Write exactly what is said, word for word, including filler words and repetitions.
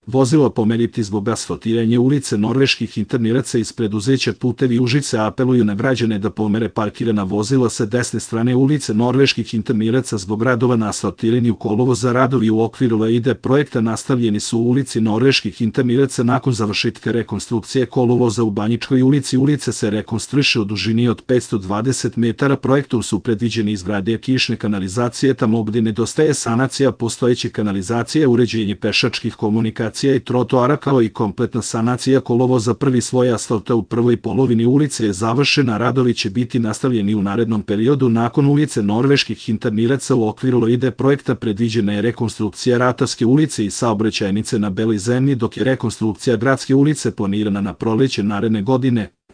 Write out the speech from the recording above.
vozilo pomeriti zbog asfaltiranja ulice Norveških interniraca iz preduzeća Putevi Užice apeluju na građane da pomere parkirana vozila sa desne strane ulice Norveških interniraca zbog radova na asfaltiranju kolovoza. Radovi u okviru E I D E projekta nastavljeni su u ulici Norveških interniraca nakon završetka rekonstrukcije kolovoza u Banjičkoj ulici. Ulica se rekonstruiše u dužini od petsto dvadeset metara. Projektom su predviđeni izgradnja kišne kanalizacije tamo gde nedostaje sanacija postojeće kanalizacije, uređenje pešačkih komunikacija i trotoara kao i kompletna sanacija kolovoza. Prvi sloj asfalta u prvoj polovini ulice je završena, radovi će biti nastavljeni u narednom periodu. Nakon ulice Norveških interniraca u okviru E I D E projekta predviđena je rekonstrukcija Ratarske ulice i saobraćajnice na Beloj zemlji, dok je rekonstrukcija Gradske ulice planirana na proleće naredne godine.